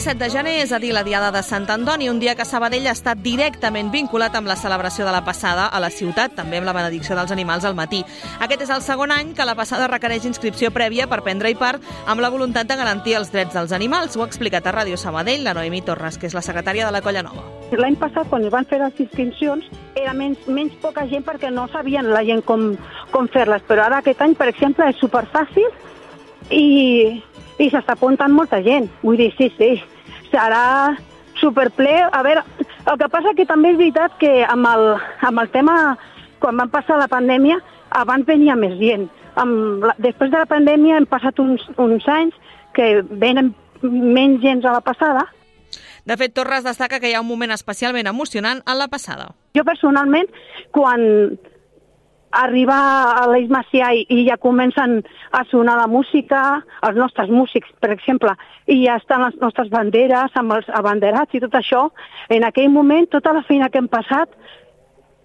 17 de gener és a dir la Diada de Sant Antoni, un dia que Sabadell ha estat directament vinculat amb la celebració de la passada a la ciutat, també amb la benedicció dels animals al matí. Aquest és el segon any que la passada requereix inscripció prèvia per prendre-hi part amb la voluntat de garantir els drets dels animals. Ho ha explicat a Ràdio Sabadell la Noemí Torres, que és la secretària de la Colla Nova. L'any passat, quan es van fer les inscripcions, era menys poca gent perquè no sabien la gent com fer-les, però ara aquest any, per exemple, és superfàcil i s'està apuntant molta gent. Vull dir, sí, serà superple. A veure, el que passa que també és veritat que amb el tema, quan van passar la pandèmia, abans venia més gent. Després de la pandèmia hem passat uns anys que venen menys gent a la passada. De fet, Torres destaca que hi ha un moment especialment emocionant en la passada. Jo personalment, quan arriba a l'Eix Macià i ja comencen a sonar la música, els nostres músics, per exemple, i ja estan les nostres banderes amb els abanderats i tot això, en aquell moment tota la feina que hem passat,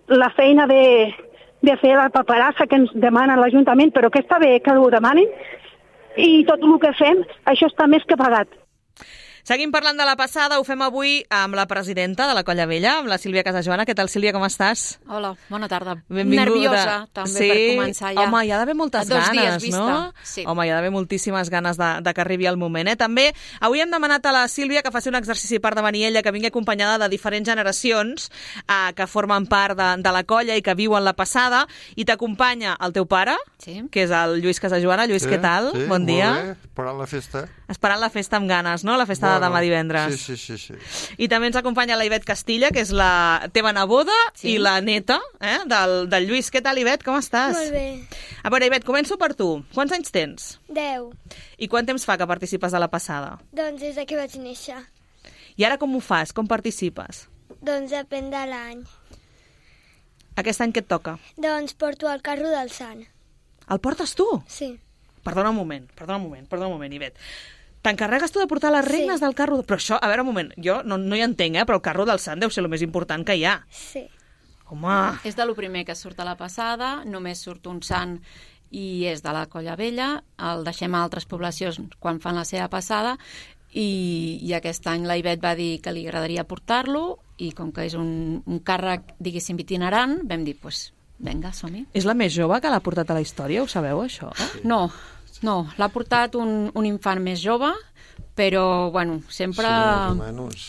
la feina de fer la paperassa que ens demana l'Ajuntament, però que està bé que ho demanin, i tot el que fem, això està més que pagat. Seguim parlant de la passada, ho fem avui amb la presidenta de la Colla Vella, amb la Sílvia Casajoana. Què tal, Sílvia, com estàs? Hola, bona tarda. Benvinguda. Nerviosa, també, per començar ja. Home, hi ha d'haver moltes ganes, no? Sí. Home, hi ha d'haver moltíssimes ganes de que arribi el moment, També, avui hem demanat a la Sílvia que faci un exercici per davanir ella, que vingui acompanyada de diferents generacions que formen part de la colla i que viuen la passada, i t'acompanya el teu pare, que és el Lluís Casajoana. Lluís, què tal? Sí, bon dia. Molt bé, esperant la festa. Esperant la festa amb ganes, no? La festa de demà divendres. Sí. I també ens acompanya la Ivet Castilla, que és la teva neboda i la neta del Lluís. Què tal, Ivet? Com estàs? Molt bé. A veure, Ivet, començo per tu. Quants anys tens? 10. I quant temps fa que participes de la passada? Doncs des que vaig néixer. I ara com ho fas? Com participes? Doncs depèn de l'any. Aquest any què et toca? Doncs porto el carro del Sant. El portes tu? Sí. Perdona un moment, Ivet. T'encarregues tu de portar les regnes del carro? Però això, a veure, un moment, jo no hi entenc, però el carro del Sant deu ser el més important que hi ha. Sí. Home! És de lo primer que surt a la passada, només surt un sant i és de la Colla Vella, el deixem a altres poblacions quan fan la seva passada, i aquest any la Ivet va dir que li agradaria portar-lo, i com que és un càrrec, diguéssim, itinerant, vam dir, doncs, vinga, som-hi. És la més jove que l'ha portat a la història, ho sabeu, això? No, l'ha portat un infant més jove, però, bueno, sempre... Sí, més o menys.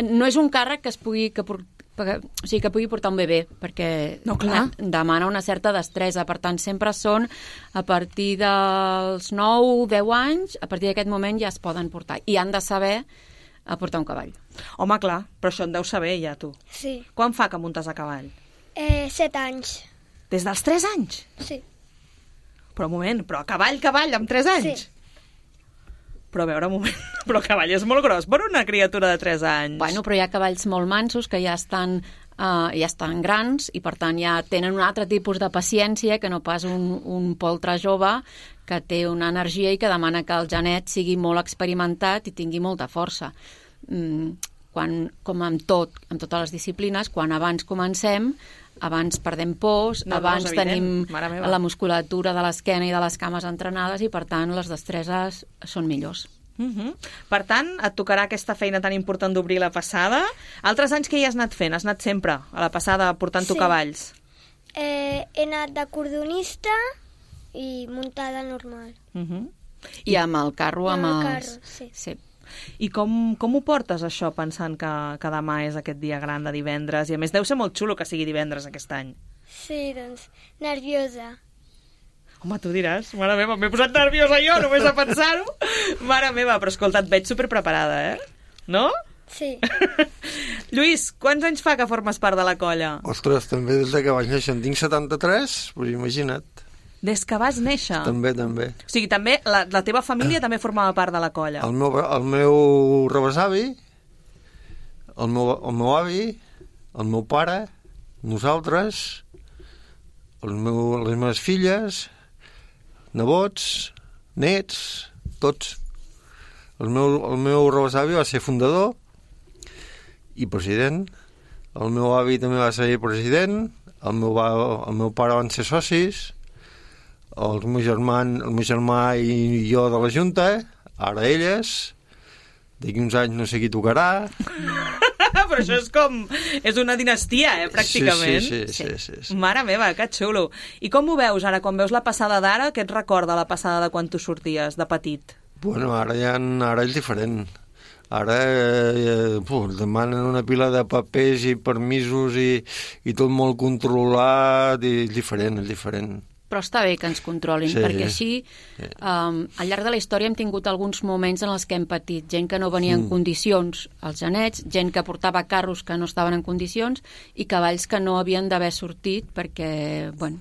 No és un càrrec que pugui portar un bebè, perquè demana una certa destresa. Per tant, sempre són a partir dels 9-10 anys, a partir d'aquest moment ja es poden portar. I han de saber portar un cavall. Home, clar, però això en deus saber ja, tu. Sí. Quan fa que muntes a cavall? 7 anys. Des dels 3 anys? Sí. Però un moment, però a cavall, amb 3 anys? Sí. Però a veure, un moment, però el cavall és molt gros per una criatura de 3 anys. Bueno, però hi ha cavalls molt mansos que ja estan grans i per tant ja tenen un altre tipus de paciència que no pas un poltre jove que té una energia i que demana que el genet sigui molt experimentat i tingui molta força. Com amb totes les disciplines, quan abans comencem, abans perdem pors, abans tenim la musculatura de l'esquena i de les cames entrenades i, per tant, les destreses són millors. Per tant, et tocarà aquesta feina tan important d'obrir la passada. Altres anys que hi has anat fent? Has anat sempre a la passada portant-ho cavalls? He anat de cordonista i muntada normal. I amb el carro? Amb el carro, sí. I com ho portes, això, pensant que demà és aquest dia gran de divendres? I a més deu ser molt xulo que sigui divendres aquest any. Sí, doncs, nerviosa. Home, tu diràs, mare meva, m'he posat nerviosa jo, només a pensar-ho. Mare meva, però escolta, et veig superpreparada, No? Sí. Lluís, quants anys fa que formes part de la colla? Ostres, també des que vaig néixer, en tinc 73, però imagina't. Des que vas néixer? També. O sigui, també la teva família també formava part de la colla? El meu rebesavi, el meu avi, el meu pare, nosaltres, les meves filles, nebots, nets, tots. El meu rebesavi va ser fundador i president. El meu avi també va ser president. El meu pare van ser socis. El meu germà i jo de la Junta, ara elles. d'aquí uns anys no sé qui tocarà. Però això és una dinastia, pràcticament. Sí. Mare meva, que xulo. I com ho veus ara, quan veus la passada d'ara? Què et recorda la passada de quan tu sorties, de petit? Bueno, ara és diferent. Ara demanen una pila de papers i permisos i tot molt controlat, i és diferent. Però està bé que ens controlin, perquè així al llarg de la història hem tingut alguns moments en els que hem patit gent que no venia en condicions als genets, gent que portava carros que no estaven en condicions i cavalls que no havien d'haver sortit perquè, bueno,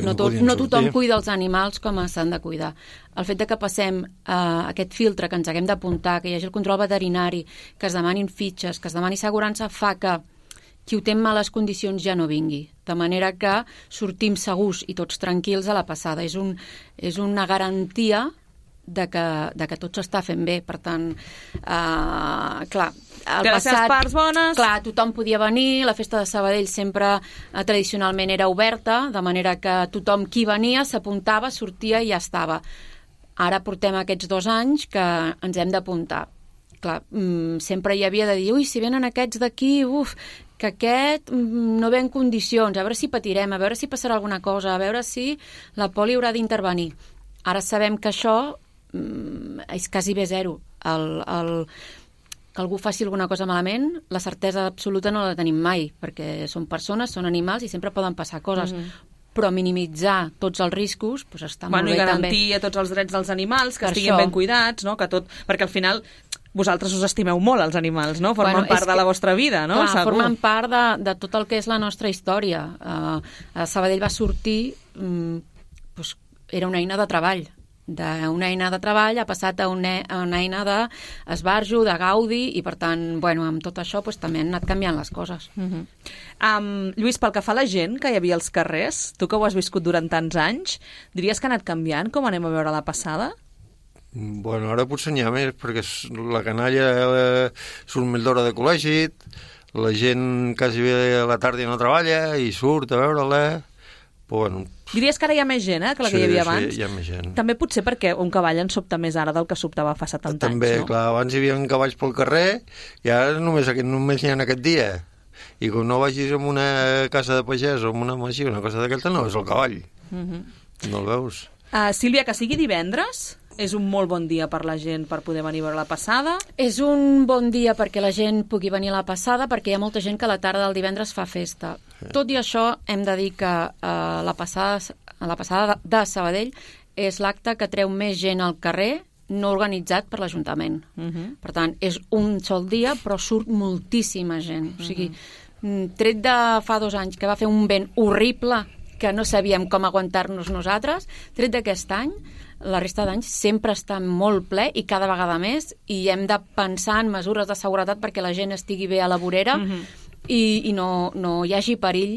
no tothom cuida els animals com s'han de cuidar. El fet de que passem aquest filtre, que ens haguem d'apuntar, que hi hagi el control veterinari, que es demanin fitxes, que es demani assegurança, fa que qui ho té en males condicions ja no vingui. De manera que sortim segurs i tots tranquils a la passada. És una garantia de que tot s'està fent bé. Per tant, clar, el passat, parts bones. Clar, tothom podia venir, la festa de Sabadell sempre tradicionalment era oberta, de manera que tothom qui venia s'apuntava, sortia i ja estava. Ara portem aquests 2 anys que ens hem d'apuntar. Clar, sempre hi havia de dir, ui, si venen aquests d'aquí, que aquest no ve en condicions, a veure si patirem, a veure si passarà alguna cosa, a veure si la poli haurà d'intervenir. Ara sabem que això és quasi bé zero. Que algú faci alguna cosa malament, la certesa absoluta no la tenim mai, perquè són persones, són animals i sempre poden passar coses. Però minimitzar tots els riscos està molt bé també. I garantir tots els drets dels animals, que estiguin ben cuidats, no? Perquè al final vosaltres us estimeu molt, els animals, no? Formen part de la vostra vida, no? Clar, formen part de tot el que és la nostra història. A Sabadell va sortir, era una eina de treball. D'una eina de treball ha passat a una eina d'esbarjo, de gaudi, i per tant, amb tot això també han anat canviant les coses. Lluís, pel que fa a la gent que hi havia als carrers, tu que ho has viscut durant tants anys, diries que ha anat canviant com anem a veure la passada? Bueno, ara potser n'hi ha més, perquè la canalla surt més d'hora de col·legi, la gent quasi bé a la tarda no treballa i surt a veure-la. Bueno, diries que ara hi ha més gent, que la que hi havia abans? Sí, hi ha més gent. També potser perquè un cavall en sobta més ara del que sobtava fa 70 anys, També, clar, abans hi havia cavalls pel carrer i ara només n'hi ha aquest dia. I quan no vagis a una casa de pagès o a una masia, una cosa d'aquesta, no és el cavall. No el veus. Sílvia, que sigui divendres és un molt bon dia per la gent per poder venir a veure la passada? És un bon dia perquè la gent pugui venir a la passada, perquè hi ha molta gent que a la tarda del divendres fa festa. Tot i això, hem de dir que la passada de Sabadell és l'acte que treu més gent al carrer, no organitzat per l'Ajuntament. Per tant, és un sol dia, però surt moltíssima gent. O sigui, tret de fa 2 anys que va fer un vent horrible, que no sabíem com aguantar-nos nosaltres, tret d'aquest any, la resta d'anys sempre està molt ple i cada vegada més, i hem de pensar en mesures de seguretat perquè la gent estigui bé a la vorera i no hi hagi perill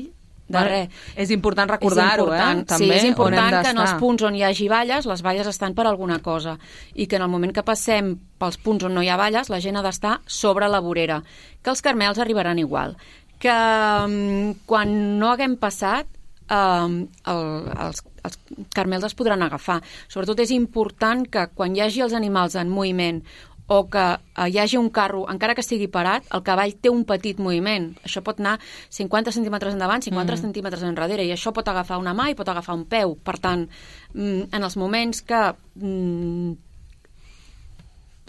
de res. És important recordar-ho, també. Sí, és important que en els punts on hi hagi valles, les valles estan per alguna cosa, i que en el moment que passem pels punts on no hi ha valles, la gent ha d'estar sobre la vorera. Que els carmels arribaran igual. Que quan no haguem passat, els carmels es podran agafar. Sobretot és important que quan hi hagi els animals en moviment o que hi hagi un carro, encara que estigui parat, el cavall té un petit moviment. Això pot anar 50 centímetres endavant, 50 centímetres enrere, i això pot agafar una mà i pot agafar un peu. Per tant, en els moments que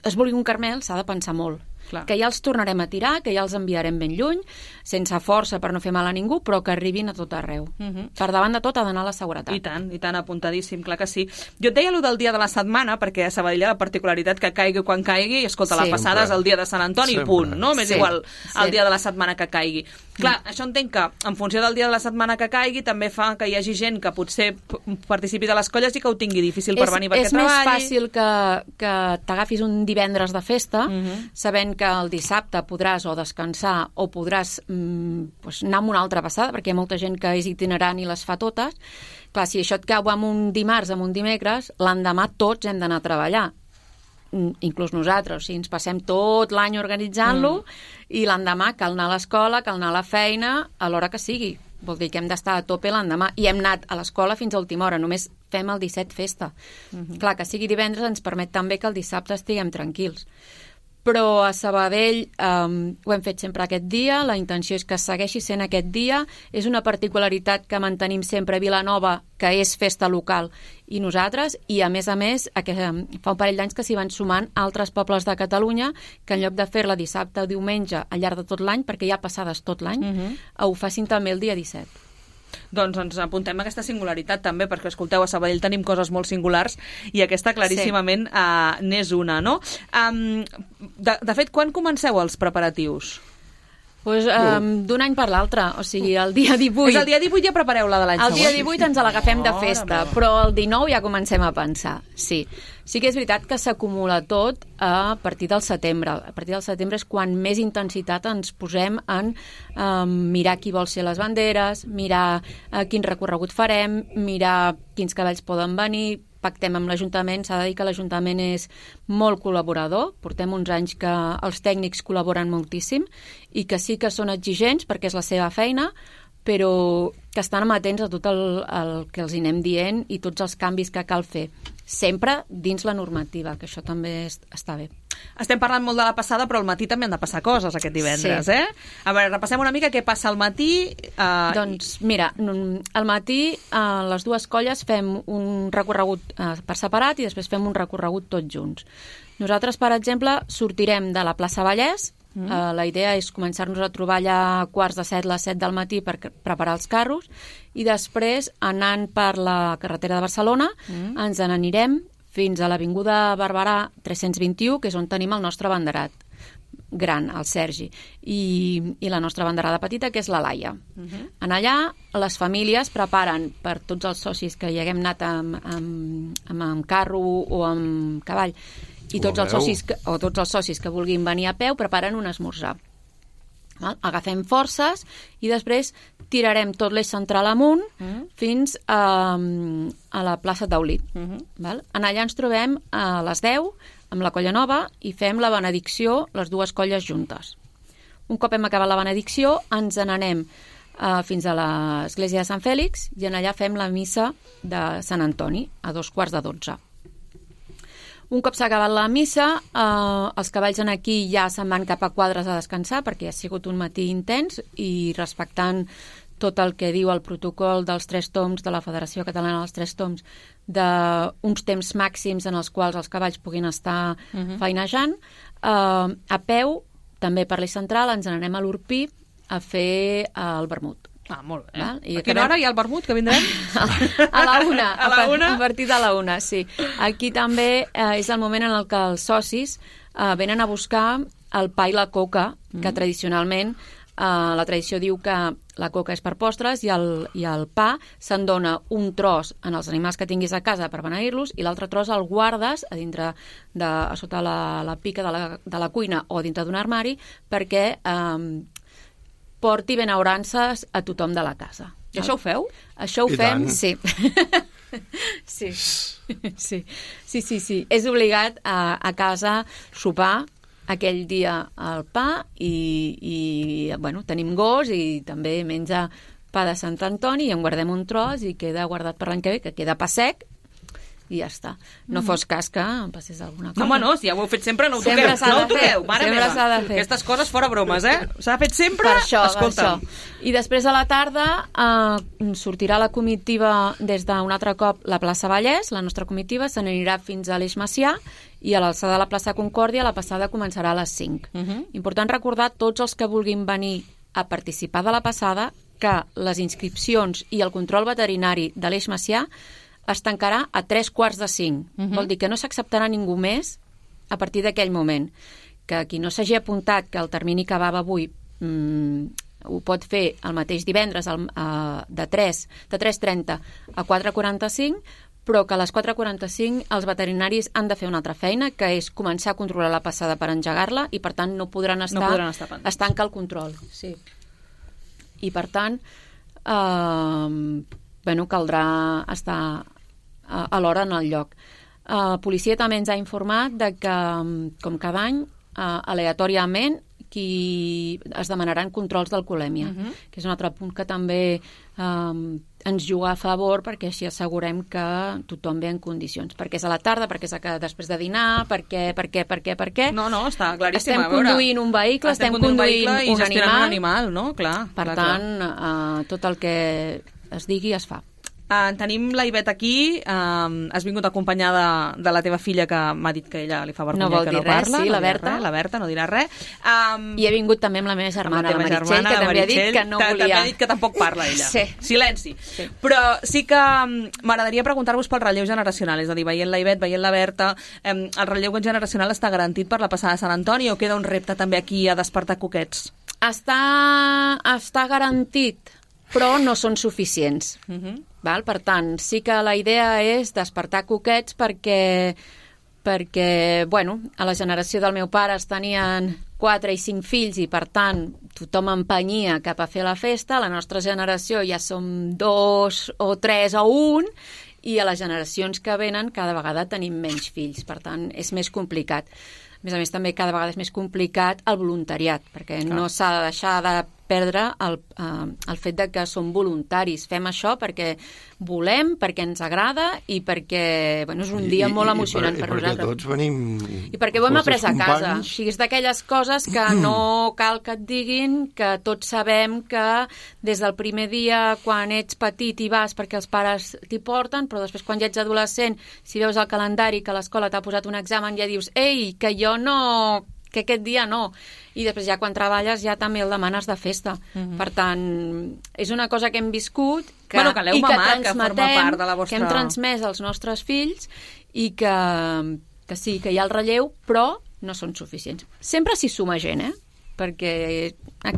es vulgui un carmel, s'ha de pensar molt. Clar. Que ja els tornarem a tirar, que ja els enviarem ben lluny, sense força per no fer mal a ningú, però que arribin a tot arreu. Per davant de tot ha d'anar la seguretat. I tant, apuntadíssim, clar que sí. Jo et deia allò del dia de la setmana, perquè a Sabadell hi ha la particularitat que caigui quan caigui, i escolta, la passada és el dia de Sant Antoni, punt, no? M'és igual el dia de la setmana que caigui. Clar, això entenc que, en funció del dia de la setmana que caigui, també fa que hi hagi gent que potser participi de les colles i que ho tingui difícil per venir perquè treballi. És més fàcil que t'agafis un divendres de festa, sabent que el dissabte podràs o descansar o podràs anar amb una altra passada, perquè hi ha molta gent que és itinerant i les fa totes. Clar, si això et cau amb un dimarts, amb un dimecres, l'endemà tots hem d'anar a treballar. Inclús nosaltres, o sigui, ens passem tot l'any organitzant-lo i l'endemà cal anar a l'escola, cal anar a la feina a l'hora que sigui. Vol dir que hem d'estar a tope l'endemà, i hem anat a l'escola fins a última hora, només fem el 17 festa. Clar, que sigui divendres ens permet també que el dissabte estiguem tranquils. però a Sabadell ho hem fet sempre aquest dia, la intenció és que segueixi sent aquest dia, és una particularitat que mantenim sempre a Vilanova, que és festa local, i nosaltres, i a més, fa un parell d'anys que s'hi van sumant altres pobles de Catalunya que en lloc de fer-la dissabte o diumenge al llarg de tot l'any, perquè hi ha passades tot l'any, ho facin també el dia 17. Doncs ens apuntem a aquesta singularitat també, perquè, escolteu, a Sabadell tenim coses molt singulars i aquesta claríssimament n'és una, no? De fet, quan comenceu els preparatius? Pues, d'un any per l'altre, o sigui, el dia 18... És el dia 18 ja prepareu la de l'any següent? El dia 18 ens l'agafem de festa, però el 19 ja comencem a pensar, sí. Sí que és veritat que s'acumula tot a partir del setembre. A partir del setembre és quan més intensitat ens posem en mirar qui vol ser les banderes, mirar quin recorregut farem, mirar quins cavalls poden venir, pactem amb l'Ajuntament. S'ha de dir que l'Ajuntament és molt col·laborador, portem uns anys que els tècnics col·laboren moltíssim i que sí que són exigents perquè és la seva feina, però que estan amatents a tot el que els hi anem dient i tots els canvis que cal fer, sempre dins la normativa, que això també està bé. Estem parlant molt de la passada, però al matí també han de passar coses aquest divendres, sí. A veure, repassem una mica què passa al matí. Doncs mira, al matí les dues colles fem un recorregut per separat i després fem un recorregut tots junts. Nosaltres, per exemple, sortirem de la plaça Vallès. La idea és començar-nos a trobar allà a quarts de 7, les 7 del matí per preparar els carros i després, anant per la carretera de Barcelona, ens n'anirem fins a l'Avinguda Barberà 321, que és on tenim el nostre banderat gran, el Sergi, i la nostra banderada petita, que és la Laia. En allà, les famílies preparen per tots els socis que hi haguem anat amb carro o amb cavall, i tots els socis que vulguin venir a peu preparen un esmorzar. Agafem forces i després tirarem tot l'eix central amunt fins a la plaça Taulí. En allà ens trobem a les 10 amb la colla nova i fem la benedicció, les dues colles juntes. Un cop hem acabat la benedicció ens n'anem fins a l'església de Sant Fèlix i en allà fem la missa de Sant Antoni a 11:45. Un cop s'ha acabat la missa, els cavalls en aquí ja se'n van cap a quadres a descansar perquè ha sigut un matí intens i respectant tot el que diu el protocol dels 3 toms de la Federació Catalana dels 3 toms d'uns temps màxims en els quals els cavalls puguin estar feinejant. A peu, també per l'eix central, ens n'anem a l'Urpí a fer el vermut. Molt bé. A quina hora hi ha el vermut que vindrem? A la una. A partir de la una, sí. Aquí també és el moment en el que els socis venen a buscar el pa i la coca, que tradicionalment la tradició diu que la coca és per postres i el pa se'n dona un tros en els animals que tinguis a casa per beneir-los i l'altre tros el guardes a dintre a sota la pica de la cuina o dintre d'un armari perquè porti benaurances a tothom de la casa. I això ho feu? Això ho fem, sí. Sí. És obligat a casa sopar aquell dia el pa i bueno, tenim gos i també menja pa de Sant Antoni i en guardem un tros i queda guardat per l'any que ve, que queda pa sec i ja està. No fos cas que em passés alguna cosa. Home, no, si ja ho heu fet sempre, no ho toqueu. No ho toqueu, mare meva. S'ha de fer. Aquestes coses fora bromes, S'ha fet sempre, per això. Escolta'm. I després a la tarda sortirà la comitiva des d'un altre cop la plaça Vallès, la nostra comitiva, se n'anirà fins a l'Eix Macià i a l'alçada de la plaça Concòrdia la passada començarà a les 5. Important recordar tots els que vulguin venir a participar de la passada que les inscripcions i el control veterinari de l'Eix Macià es tancarà a 3:45. Vol dir que no s'acceptarà ningú més a partir d'aquell moment. Que qui no s'hagi apuntat que el termini que acabava avui ho pot fer el mateix divendres de 3:30 a 4:45, però que a les 4:45 els veterinaris han de fer una altra feina, que és començar a controlar la passada per engegar-la i, per tant, no podran estar es tanca el control. Sí. I, per tant, caldrà estar a l'hora en el lloc. Policia també ens ha informat de que, com cada any, aleatòriament, es demanaran controls d'alcoholèmia, que és un altre punt que també ens juga a favor, perquè així assegurem que tothom ve en condicions. Perquè és a la tarda, perquè és després de dinar, per què? No, està claríssim. Estem conduint un vehicle, estem conduint un animal, no? Clar. Per tant, tot el que es digui es fa. Tenim la Ivet aquí, has vingut acompanyada de la teva filla, que m'ha dit que ella li fa vergonya que no parla. Sí, la Berta. La Berta no dirà res. I he vingut també amb la meva germana, la Meritxell, que també ha dit que no volia. També ha dit que tampoc parla ella. Sí. Silenci. Sí. Però sí que m'agradaria preguntar-vos pel relleu generacional, és a dir, veient la Ivet, veient la Berta, el relleu generacional està garantit per la passada de Sant Antoni o queda un repte també aquí a despertar coquets? Està garantit, però no són suficients. Val? Per tant, sí que la idea és despertar coquets perquè a la generació del meu pare es tenien 4 i 5 fills i, per tant, tothom empenyia cap a fer la festa. A la nostra generació ja som 2 o 3 o 1 i a les generacions que venen cada vegada tenim menys fills. Per tant, és més complicat. A més, també cada vegada és més complicat el voluntariat, perquè no s'ha de deixar de perdre el fet de que som voluntaris. Fem això perquè volem, perquè ens agrada i perquè és un dia molt emocionant per nosaltres. I perquè tots venim... I perquè ho hem après a casa. O sigui, és d'aquelles coses que no cal que et diguin, que tots sabem que des del primer dia, quan ets petit i vas perquè els pares t'hi porten, però després quan ja ets adolescent, si veus el calendari que l'escola t'ha posat un examen, ja dius, ei, que jo no... que aquest dia no. I després ja quan treballes ja també el demanes de festa. Per tant, és una cosa que hem viscut que l'heu mamat, que forma part de la vostra... que hem transmès als nostres fills i que sí, que hi ha el relleu, però no són suficients. Sempre s'hi suma gent, perquè a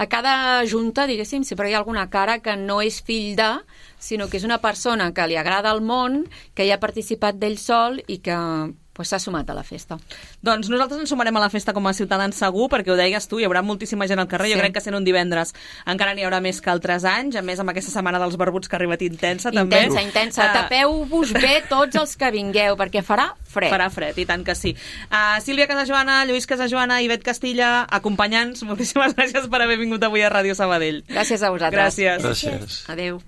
cada junta, diguéssim, sempre hi ha alguna cara que no és fill de, sinó que és una persona que li agrada el món, que hi ha participat d'ell sol i que s'ha sumat a la festa. Doncs nosaltres ens sumarem a la festa com a ciutadans segur, perquè ho deies tu, hi haurà moltíssima gent al carrer. Jo crec que sent un divendres encara n'hi haurà més que altres anys, a més amb aquesta setmana dels barbuts que ha arribat intensa també. Intensa. Tapeu-vos bé tots els que vingueu, perquè farà fred. Farà fred, i tant que sí. Sílvia Casajoana, Lluís Casajoana, Ivet Castilla, acompanyants, moltíssimes gràcies per haver vingut avui a Ràdio Sabadell. Gràcies a vosaltres. Gràcies. Adéu.